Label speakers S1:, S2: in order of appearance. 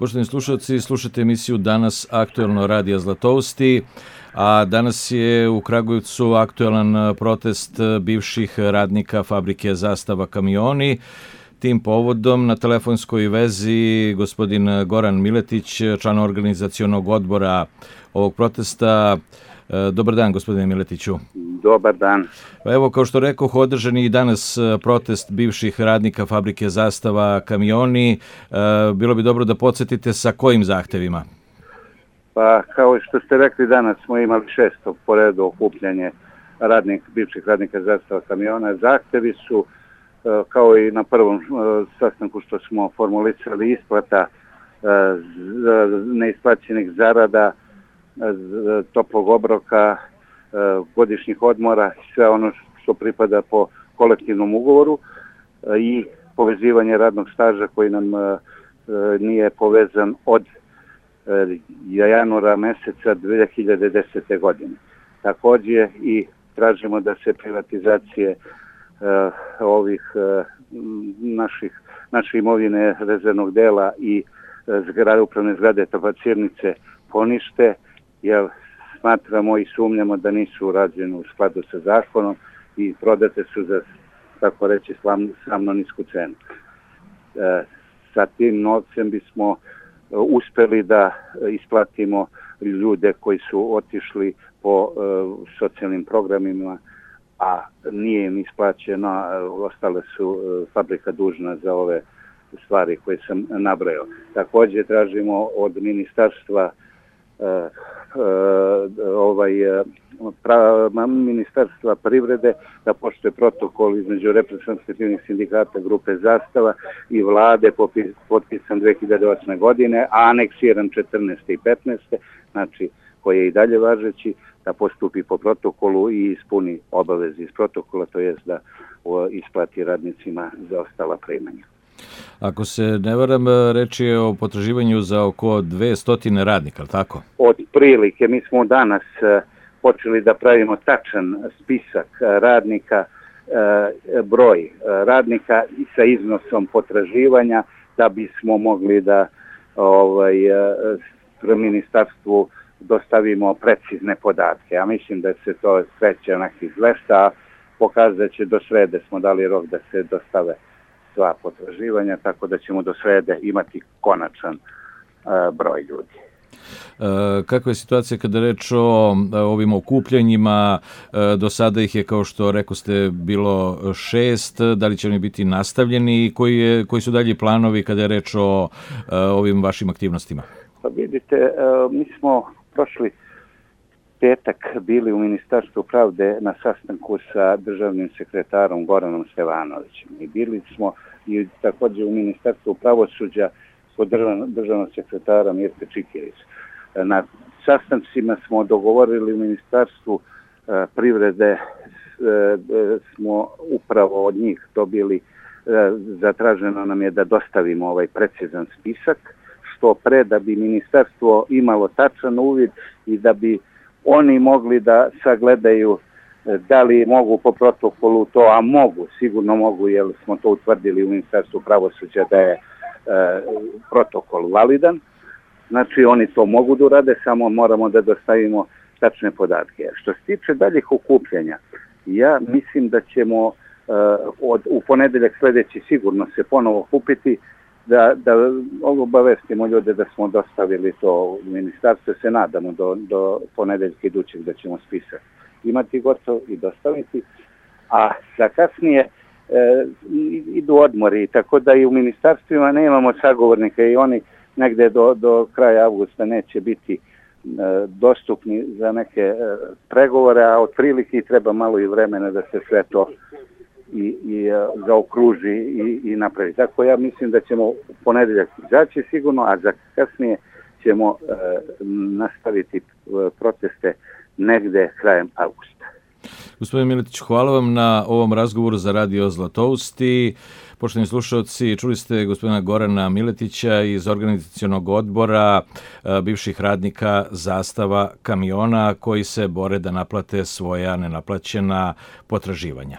S1: Poštovani slušalci, slušate emisiju Danas aktuelno radija Zlatousti, a danas je u Kragujevcu aktuelan protest bivših radnika fabrike Zastava kamioni. Tim povodom na telefonskoj vezi gospodin Goran Miletić, član organizacionog odbora ovog protesta. Dobar dan, gospodine Miletiću.
S2: Dobar dan.
S1: Evo, kao što rekoh, održan je i danas protest bivših radnika fabrike Zastava kamioni. Bilo bi dobro da podsjetite sa kojim zahtevima?
S2: Pa, kao što ste rekli, danas smo imali 6. po redu okupljanje bivših radnika Zastava kamiona. Zahtevi su, kao i na prvom sastanku što smo formulisali, isplata neisplaćenih zarada, toplog obroka, godišnjih odmora, sve ono što pripada po kolektivnom ugovoru i povezivanje radnog staža koji nam nije povezan od januara meseca 2010. godine. Također i tražimo da se privatizacije ovih naše imovine rezervnog dela i upravne zgrade Tabacirnice ponište, jer smatramo i sumnjamo da nisu urađene u skladu sa zakonom i prodate su za, tako reći, sramno nisku cenu. Sa tim novcem bismo uspeli da isplatimo ljude koji su otišli po socijalnim programima, a nije im isplaćeno, ostale su fabrika dužna za ove stvari koje sam nabrojao. Također tražimo od ministarstva Ministarstva privrede da poštuje protokol između reprezentativnih sindikata grupe Zastava i vlade potpisan 2008. godine, a aneksiran 14. i 15. znači koji je i dalje važeći, da postupi po protokolu i ispuni obaveze iz protokola, to jest da isplati radnicima za ostala primanja.
S1: Ako se ne varam, reč je o potraživanju za oko 200 radnika, ali tako?
S2: Od prilike, mi smo danas počeli da pravimo tačan spisak radnika, broj radnika sa iznosom potraživanja, da bismo mogli da ministarstvu dostavimo precizne podatke. Ja mislim da se to kreće nekih 200, a pokazat će do srede, smo dali rok da se dostave sva potraživanja, tako da ćemo do srede imati konačan broj ljudi.
S1: Kakva je situacija kada reč o ovim okupljanjima? Do sada ih je, kao što rekoste, bilo 6. Da li će oni biti nastavljeni i koji su dalji planovi kada je reč o ovim vašim aktivnostima?
S2: Pa vidite, mi smo prošli petak bili u Ministarstvu pravde na sastanku sa državnim sekretarom Goranom Stevanovićem. I bili smo i također u Ministarstvu pravosuđa kod državnog sekretara Mirke Čikirić. Na sastancima smo dogovorili u Ministarstvu privrede, smo upravo od njih dobili, zatraženo nam je da dostavimo ovaj precizan spisak, što pre da bi ministarstvo imalo tačan uvid i da bi oni mogli da sagledaju da li mogu po protokolu to, a mogu, sigurno mogu, jer smo to utvrdili u Ministarstvu pravosuđa da je protokol validan. Znači oni to mogu da urade, samo moramo da dostavimo tačne podatke. Što se tiče daljih okupljanja, ja mislim da ćemo u ponedeljak sljedeći sigurno se ponovo okupiti, da obavestimo ljude da smo dostavili to u ministarstvo, se nadamo do ponedeljka idućeg da ćemo spisak imati gotov i dostaviti, a za kasnije idu odmori, tako da i u ministarstvima nemamo sagovornika i oni negde do kraja avgusta neće biti dostupni za neke pregovore, a otprilike treba malo i vremena da se sve to i zaokruži i napravi. Tako ja mislim da ćemo u ponedeljak izaći sigurno, a za kasnije ćemo nastaviti proteste negde krajem avgusta.
S1: Gospodin Miletić, hvala vam na ovom razgovoru za Radio Zlatousti. Poštovani slušalci, čuli ste gospodina Gorana Miletića iz organizacionog odbora bivših radnika Zastava kamiona koji se bore da naplate svoja nenaplaćena potraživanja.